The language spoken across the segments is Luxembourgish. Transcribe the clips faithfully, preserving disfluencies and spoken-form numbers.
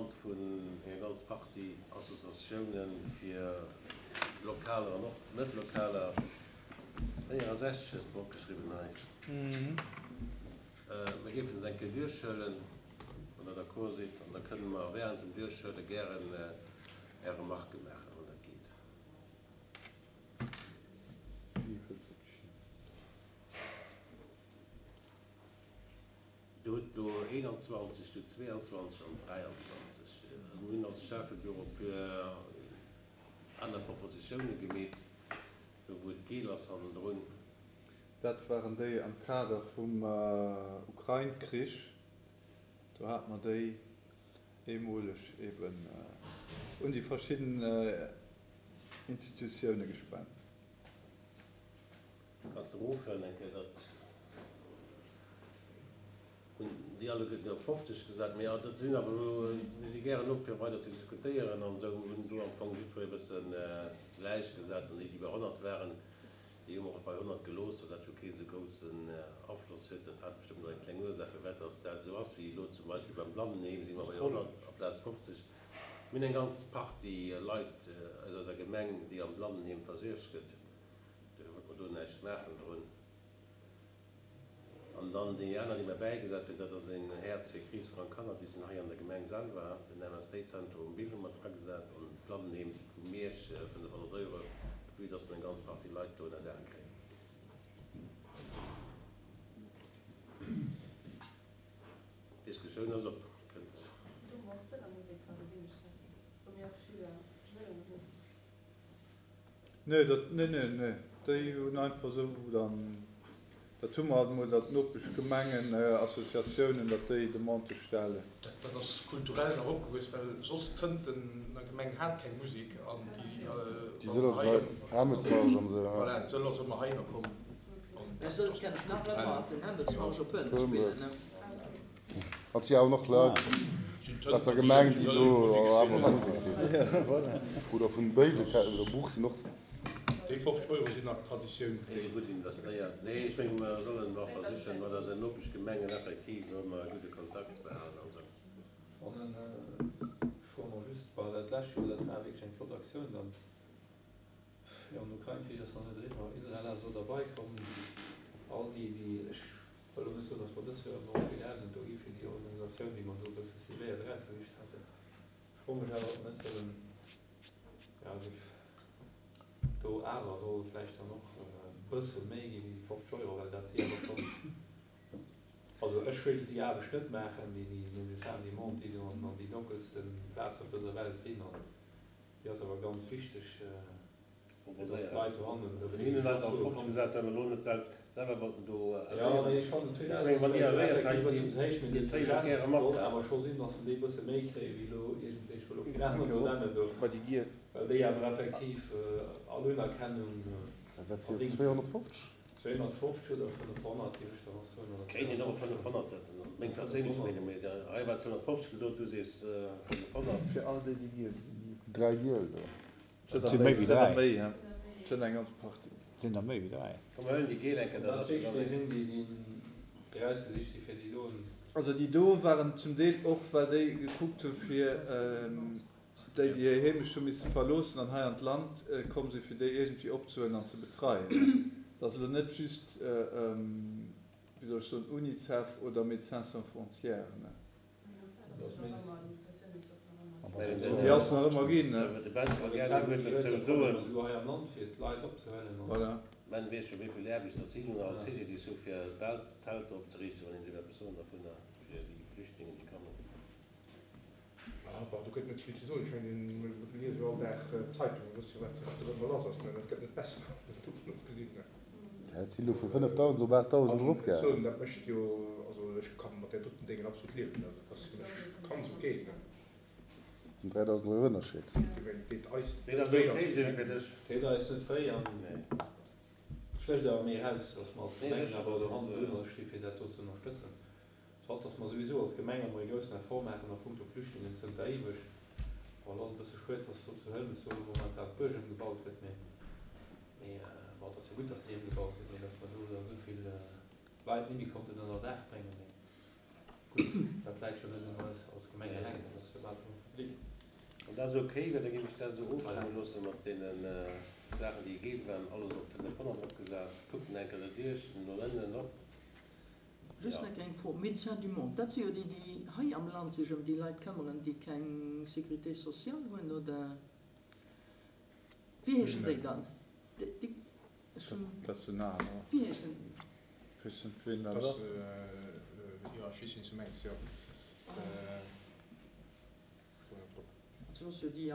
Demande vun enger ganz Partie Associatiounen fir lokaler an och net lokaler, véierundsechzeg hues de mer opgeschriwwen hei. Mir géifen se eng Kéier duerchhuelen, wann Der d'accord sidd, an da kënne mer während dem Duerchhuele gären Är Remarquë maachen, wann dat geet. Dir hutt do eenanzwanzeg, du zweeanzwanzeg an dräianzwanzeg. Also mir hunn als Schäffebüro e puer aner Propositiounen gemeet, do wou et geel ass hannendrun. Dat waren déi am Kader vum Ukrain-Krich. Do hate mer déi eemoleg eben un déi verschidden Institutioune gespent. Kanns de erofhuelen eng Kéier, dat hunn déi alleguerten op fofzeg gesat, mee dat sinn awer elo, mir si gären op fir weider ze diskutéieren an esou, hunn do am Fong jiddweree e bësse gläich gesat an déi, déi bei honnert waren, déi hu mer och bei honnert gelooss, well dat jo kee sou groussen Afloss huet. Dat hat bestëmmt och eng kleng Ursaach, firwat dass dat esou ass, wéi elo zum Beispill beim Blannenheem si mer bei honnert amplaz fofzeg. Mir hunn eng ganz Partie Leit aus eiser Gemeng, déi am Blannenheem versuergt gëtt. Dofir wollte mer do näischt maachen drun. An dann déi aner, déi mer bäigesat hunn, dat ass een Häerz fir kriibskrank Kanner, déi sinn hei an der Gemeng selwer, den M S D-Zentrum um Bill hu mer dragesat an d'Blannenheem vu Miersch, fënnefhonnert Euro, vue dass mer eng ganz Partie Leit do ënner Daach kréien. D'Diskussioun ass op. Kënnt. Do hu mer och d'Sëller Musek dra, gesinn ech grad, wou mir och Schüler zu Sëllern hunn. Nee, dat, nee, nee, nee, déi hunn einfach esou dann, dat hu mer alt emol, datt d'Nopeschgemengen, Associatiounen, datt déi Demandë stellen. Dat, dat ass kulturell nach opgewuess, well soss Tëntener Gemeng hat keng Musek an déi, Déi Sëller sinn hei, Hämmelsmarsch an esou, ja. Voilà, d'Sëller si mer heihinner komm an Mä Sëll kennt nach ëmmer den Hämmelsmarsch op Hënt spillen, ne? Et si awer nach Leit aus der Gemeng, déi do awer an der Musek sinn. Oder vun Béiwe oder Buch sinn och. Déi fofzeg Euro sinn nach Traditioun. Déi gutt investéiert. Nee, ech menge mer sollen och versichen, mat eisen Nopeschgemengen effektiv ëmmer e gudde Kontakt ze behalen an esou. Fannen, ech froe mer just, well dat lescht Joer, dat war wierklech eng flott Aktioun dann, Jo, den Ukrain-Krich ass nach net eriwwer. Israel ass elo derbei komm. All déi, déi, ech wëll elo net soen, datt mer dës Joer elo zweedausend do gi fir déi Organisatioun, déi mer do e bësse cibléiert erausgesicht haten. Ech froe mech awer, ob mer net sollen, ja, do awer soll vläicht dann och e bësse méi gi wéi fofzeg Euro, well dat si awer schonn, also ech wéilt déi Aarbecht net maachen, déi déi Médecins du Monde, déi do an déi donkelste Plazen op dëser Welt ginn. An déi ass awer ganz wichteg, fir dass d'Leit dohannen dofir Mir hunn eis och oft gesat, well mer elo net selwer wollten do agéieren. Jo, mee ech fannen zweedausend ass vläicht effektiv e bëssen ze héich, mee dee Gest soll awer scho sinn, dass se déi e bësse méi kréie wéi elo iergendwéi, ech wëll och keen aneren do nennen do, well déi awer effektiv all Unerkennung verdéngt hunn. zweehonnertfofzeg oder fënnefhonnert, géif ech dann och soen, oder Kéint een och op fënnefhonnert setzen, meng perséinlech Meenung, mee hei war zweehonnertfofzeg gesot, du sees fënnefhonnert. Fir all déi, déi giel sinn. Dräi giel, jo. Et si méi wéi dräi. Et sinn eng ganz Partie. Et sinn der méi wéi dräi. Komm mer huelen déi giel eng Kéier, dat ass jo dann déi sinn, déi déi erausgesicht si fir déi doen. Also déi do waren zum Deel och, well déi gekuckt hu fir déi, déi hir Heemecht hu misse verloossen an hei an d'Land komm sinn, fir déi iergendwéi opzehuelen an ze betreien. Et ass elo net just, wéi soll ech soen, Unicef oder Médecins sans frontières. Déi ass nach ëmmer ginn. Voilà. Ben weess jo wéivill Aarbecht dass si nun als C G D I S hu fir bal d'Zelter opzeriichten, wann een esou eppes soen dervunner fir déi Flüchtlingen déi kommen. Jo, bon, do gëtt net vill ze soen. Ech mengen, mir liese jo all Dag d'Zeitung, mir wësse jo, wat wat ëmmer lass ass, ne. Dat gëtt net besser, dovun ofgesinn, ne. Dat si lo vu fënnefdausend op aachtdausend An eropgaangen. soen, dat mécht jo, also ech ka mat där doten Déngen absolut liewen, also dat ass fir mech ganz ok, ne. Dat sinn dräidausend Euro Ënnerscheed. Ech mengen, deet eis Deet net ass wéi ok, als Gilles, Gemeng. fir dech? Deet eis net wéi an et stécht awer méi eraus, dass mer als Nee, Gemeng ech, awer do dat ass. hannendrun sti fir dat do ze ënnerstëtzen. Soit dass mer souwisou als Gemeng emol ee groussen Effort maachen a punkto Flüchtlingen zënter éiweg. Bon, et ass e bësse schued, dass do zu Hëlmes do elo momentan d'Buerg ëmgebaut gëtt, mee, mee bon, et ass jo gutt, dass déi ëmgebaut gëtt, mee dass mer do da esou vill Leit nimmi konnten ënner Daach bréngen. Mee gutt, dat läit jo net un eis als Gemeng eleng. Dat ass jo bal vum Public. An dat ass ok, well da géif ech dat esou ofstëmme loosse mat deenen Saachen, déi gegeben waren, alles op fënnefhonnert eropgesat. Kuckt en eng Kéier derduerch, no ënnen op. Just nach eng Fro, Médecins du Monde, dat si jo déi, déi hei am Land sech ëm déi Leit këmmeren, déi keng Sécurité sociale hunn, oder wéi heeschen déi dann? Déi, ech hunn. Dat sinn anerer. Wéi heeschen? Ech weess net, wien dat ass. Jo, ech weess, wien s du mengs, jo. Also ass jo déi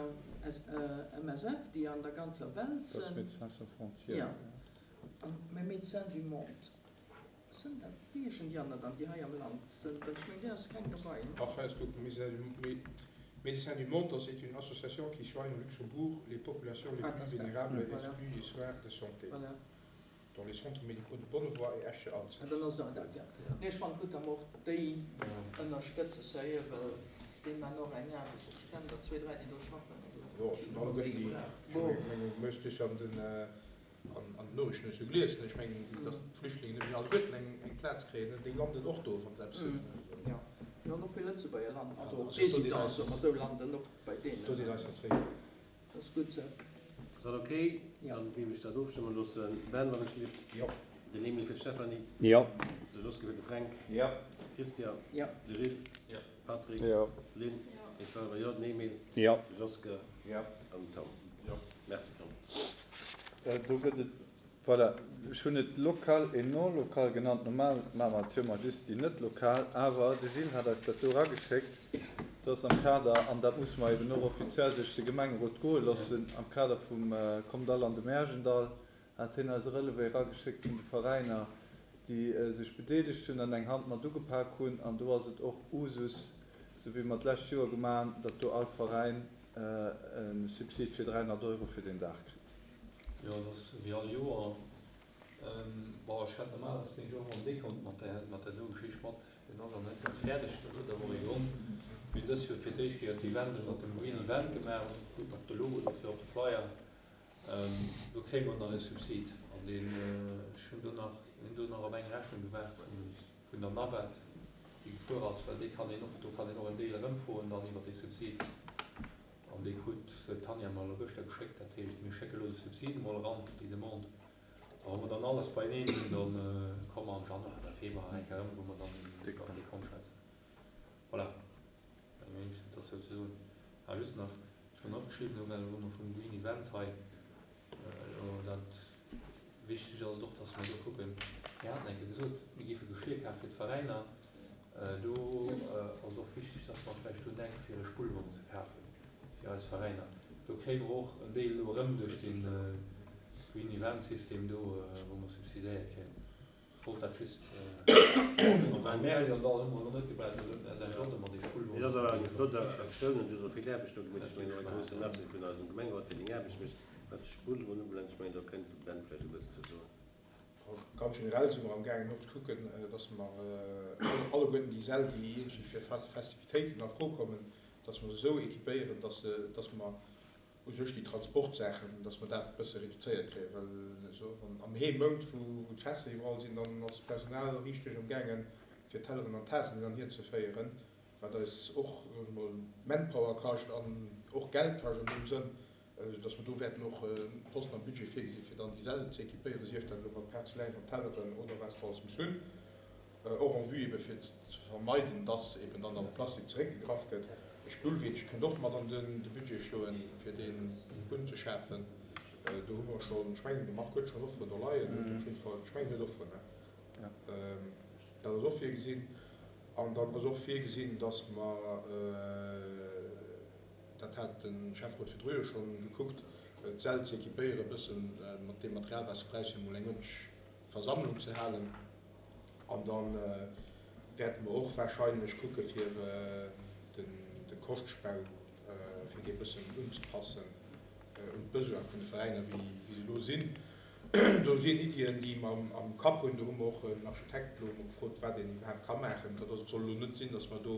M S F, déi an der ganzer Welt Dat ass sinn. Médecins sans frontières. Jo. An, mä Médecins du Monde, sinn dat, wéi heeschen déi aner dann, déi hei am Land sinn? Well ech mengen, där ass keng dobei, ne? Ach, hei ass gutt, Médecins du Monde, c'est une association qui soigne au Luxembourg les populations les Ah, plus dat ass dat. vulnérables et Voilà. exclues des soins de santé. Voilà. Dans les centres médicaux de Bonnevoie et Esch-sur-Alzette. Ah, dann ass dat dat, ja. Nee, ech fand gutt, datt mer och déi ënnerstëtzen, sérieux, well déi man och eng Aarbecht. Ech kennen der zwee, dräi, déi do schaffen. Also, Jo, et sinn alleguerten déi, ech mengen, du hues dus an den, an, an den Noriichten hues du gelies, ne? Ech mengen, datt d'Flüchtlingen net méi alleguerten eng, eng Plaz kréien, ne? Déi landen och do, wann se eppes hunn. Mm. Ja. Ja, an och vill Lëtzebuerger landen, also Ja, also Résidents, do soe mer esou, landen och bei deenen. Do deet eis net wéi. Dat ass gutt esou. Ass dat ok? Ja. Dann géif ech dat ofstëmme loossen. Ben, wann ech gelift. Jo. Den Emil fir d'Stéphanie. Jo. De Joske fir de Fränk. Jo. Christian. Jo. De Gilles. Jo. Patrick. Jo. Lynn. Jo. Ech selwer jo. Den Emil. Jo. De Joske. Jo. An den Tom. Jo. Merci, Tom. Do gëtt et, voilà, ech hunn et lokal et non lokal genannt. Normal maache mer et jo mol just déi net lokal, awer de Gilles hat eis dat do erageschéckt, dass am Kader, an dat muss mer eben och offiziell duerch de Gemengerot goe loossen, am Kader vum Kommt all an de Märjendall hat hien eis e Relevé erageschéckt vun de Veräiner, déi sech bedeelegt hunn an eng Hand mat ugepak hunn. An do ass et och Usus, sou wéi mer d'lescht Joer gemaach hunn, datt do all Veräin e Subsid fir dräihonnert Euro fir den Dag kritt. Jo, dat ass wéi all Joer. Bon, ech hätt normalerweis bin ech och am Dekont mat der, mat der do Geschicht mat. Den ass awer net ganz fäerdeg, dat huet awer och ee Grond. Mir hunn dës Joer fir d'éischt Kéier d'Event ënner dem Green Event gemaach, gutt mat de Logo dofir op de Flyer. Do kréie mer nach e Subsid an deen, ech hunn do nach, hunn do nach op eng Rechnung gewaart vun, vun der Navette, déi gefuer ass, well déi kann een och, do kann een och en Deel erëmfroen dann iwwer dee Subsid. An déi krut d'Tanja mer elo gëschter geschéckt, dat heescht, mir schécke lo de Subsid emol eran, déi Demande. A wa mer dann alles beieneen hunn, dann komme mer am Januar oder Februar eng Kéier erëm, wou mer dann iwwer den Dekont schwätzen. Voilà. Eng Mensch, dat ass souzesoen. Ah, just nach, ech hunn opgeschriwwen, elo well wou mer vum Green Event hei, elo dat wichteg ass et och, dass mer do kucken, mir haten eng Kéier gesot, mir géife Geschir kafe fir d'Veräiner. Do ass et och wichteg, dass mer vläicht drun denken, fir e Spullwon ze kafen fir eis Veräiner. Do kréie mer och en Deel elo erëm duerch den Green Event System do, wou mer subsidéiert kréien. Ech wollt dat just am Märjendall hu mer elo net gebraucht, do huet den S N J ëmmer dee Spullwon. Et ass awer eng flott Aktioun an du hues och vill Aarbecht do gemaach. Ech mengen och e grousse Merci vun eisem Gemengerot fir deng Aarbecht mécht. Wat de Spullwon ubelaangt, ech mengen do kënnt de Ben vläicht e bëssen ze soen. Ganz generell si mer am gaangen och ze kucken, dass mer alleguerten déi Säll, déi iergendwéi fir Festivitéiten a Fro kommen, dass mer se esou équipéieren, dass se, dass mer u sech déi Transportsaachen, dass mer dat e bësse reduzéiert kréien, well esou wann am Heemount, wou wou d'Fester iwwerall sinn, dann ass d'Personal richteg am gaangen, fir Telleren an Tasen hin an hier ze féieren, wat eis och, soe ech mol, Manpower kascht an och Geld kascht an deem Sënn, dass mer do wäerten och Posten am Budget virgesinn, fir dann déi Säll ze équipéieren, sief dat elo mat Porzeläin an Telleren oder wat se alles muss hunn, och en vue ebe fir ze vermeiden, dass eben dann am Plastik zeréckgegraff gëtt. E Stullweenche kënnt och mat an de Budget stoen, fir deen unzeschafen. Do hu mer schonn, ech mengen, de Marc huet schonn Offeren do leien, huet op jidde Fall, ech mengen, huet Offeren, ne? Dat ass och virgesinn. An dann ass och virgesinn, dass mer, dat hat de Schäfferot virdru jo schonn gekuckt, d'Säll ze équipéieren e bëssen mat deem Material, wat se brauchen, fir emol eng uerdentlech Versammlung ze halen. An da wäerte mer och wahrscheinlech kucke fir de Koschtbau, fir dee bëssen unzepassen un d'Besoin vun de Veräiner, wéi se elo sinn. Do sinn Iddien, déi mer am Kapp hunn. Do hu mer och en Architekt elo emol gefrot, wat een iwwerhaapt ka maachen. Dat ass, et soll elo net sinn, datt mer do,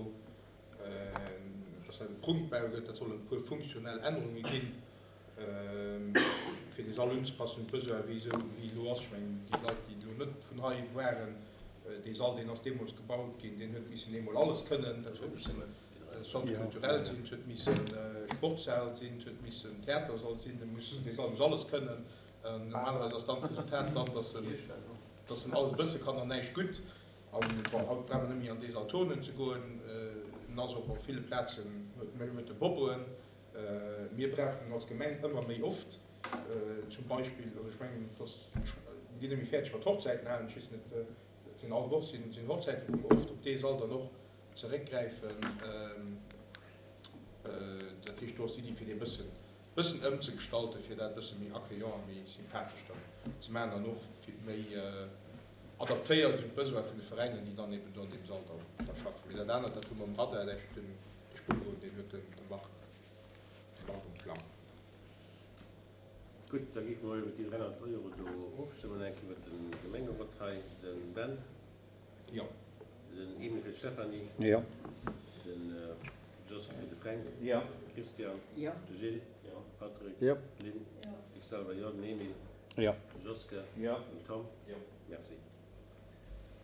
datt dat e Prunkbau gëtt. Dat soll e puer funktionell Ännerunge ginn, fir dee Sall unzepassen un d'Besoin, wéi esou wéi elo ass. Ech mengen, déi Leit, déi elo net vun hei waren, dee Sall, deen ass deemools gebaut ginn, deen huet missen eemol alles kënnen. Dat huet missen Centre culturel sinn, et huet missen Sportshal sinn, et huet missen Theatersall sinn, e muss, dee Sall muss alles kënnen. Normalerweis ass dann d'Resultat dann, dass en, dass en alles e bësse kann an näischt gutt. An bon, haut brauch mer net méi an dee Sall turnen ze goen, en ass och op ville Plazen, huet, huet e Bobboen. Mir brauchen en als Gemeng ëmmer méi oft. Zum Beispill, also ech mengen, dass, mir ginn net méi fäerdeg mat Hochzäiten halen, ech weess net, et sinn all Woch sinn, sinn Hochzäiten, wou mer oft op dee Sall dann och zeréckgräifen. Dat heescht, do ass d'Iddi, fir dee bëssen, bëssen ëmzegestalten, fir dat e bësse méi accueillant a méi sympathesch dann ze maachen an och fir méi adaptéiert un d'Besoin vun de Veräiner, déi dann eben do an deem Sall da, da schaffen. Mee dat anert, dat hu mer um Radar, dat heescht, den, de Spullwon, deen huet den, de Marc, de Marc um Plang. Gutt, da géife mer iwwer déi dräihonnert Euro do ofstëmmen, eng Kéier iwwer de Gemengerot hei, de Ben. Jo. Den Emil fir d'Stéphanie. Jo. De Jos fir de Fränk. Jo. Christian. Jo. De Gilles. Jo. Patrick. Jo. D'Lynn. Jo. Ech selwer jo. Den Emil. Jo. De Joske. Jo. Den Tom. Jo. Merci.